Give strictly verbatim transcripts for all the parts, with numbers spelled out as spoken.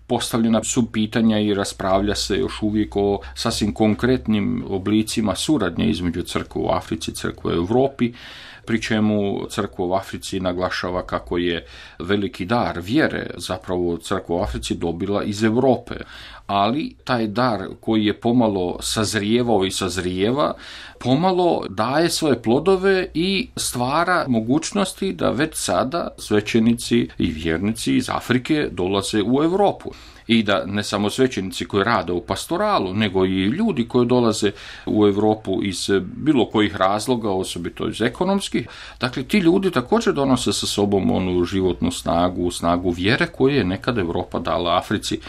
postavljena su pitanja i raspravlja se još uvijek o sasvim konkretnim oblicima suradnje između crkve u Africi i crkve u Europi, pri čemu crkva u Africi naglašava kako je veliki dar vjere zapravo crkva u Africi dobila iz Europe. Ali taj dar koji je pomalo sazrijevao i sazrijeva, pomalo daje svoje plodove i stvara mogućnosti da već sada svećenici i vjernici iz Afrike dolaze u Europu. I da ne samo svećenici koji rade u pastoralu, nego i ljudi koji dolaze u Europu iz bilo kojih razloga, osobito iz ekonomskih. Dakle, ti ljudi također donose sa sobom onu životnu snagu, snagu vjere koju je nekad Europa dala Africi.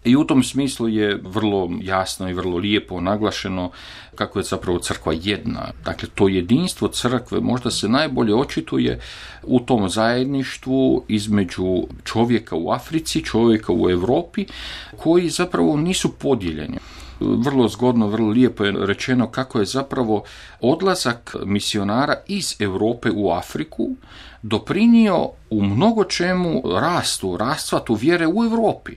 I u tom smislu je vrlo jasno i vrlo lijepo naglašeno kako je zapravo crkva jedna. Dakle, to jedinstvo crkve možda se najbolje očituje u tom zajedništvu između čovjeka u Africi, čovjeka u Europi, koji zapravo nisu podijeljeni. Vrlo zgodno, vrlo lijepo je rečeno kako je zapravo odlazak misionara iz Europe u Afriku doprinio u mnogo čemu rastu, rastvatu vjere u Europi.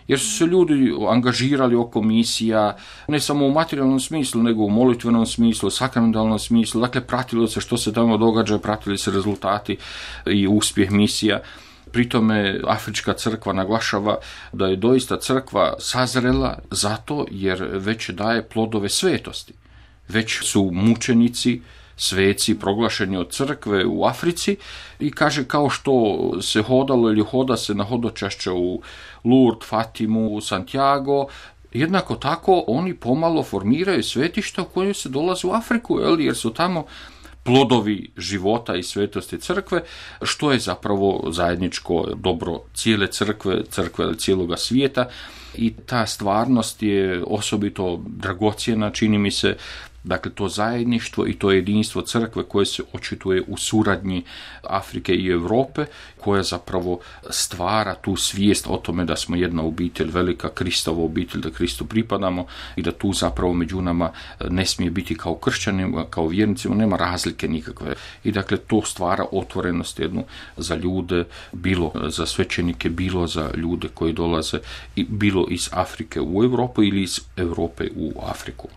Jer su se ljudi angažirali oko misija, ne samo u materijalnom smislu, nego u molitvenom smislu, sakramentalnom smislu. Dakle, pratilo se što se tamo događa, pratili se rezultati i uspjeh misija. Pri tome Afrička crkva naglašava da je doista crkva sazrela zato jer već daje plodove svetosti. Već su mučenici, sveci proglašeni od crkve u Africi i kaže kao što se hodalo ili hoda se na hodočašće u Lourdes, Fatimu, Santiago, jednako tako oni pomalo formiraju svetišta u kojoj se dolaze u Afriku, jer su tamo plodovi života i svetosti crkve, što je zapravo zajedničko dobro cijele crkve, crkve cijeloga svijeta. I ta stvarnost je osobito dragocjena, čini mi se. Dakle, to zajedništvo i to jedinstvo crkve koje se očituje u suradnji Afrike i Europe, koja zapravo stvara tu svijest o tome da smo jedna obitelj, velika Kristova obitelj, da Kristu pripadamo i da tu zapravo među nama ne smije biti kao kršćanima, kao vjernicima, nema razlike nikakve. I dakle, to stvara otvorenost jednu za ljude, bilo za svećenike, bilo za ljude koji dolaze, bilo iz Afrike u Europu ili iz Europe u Afriku.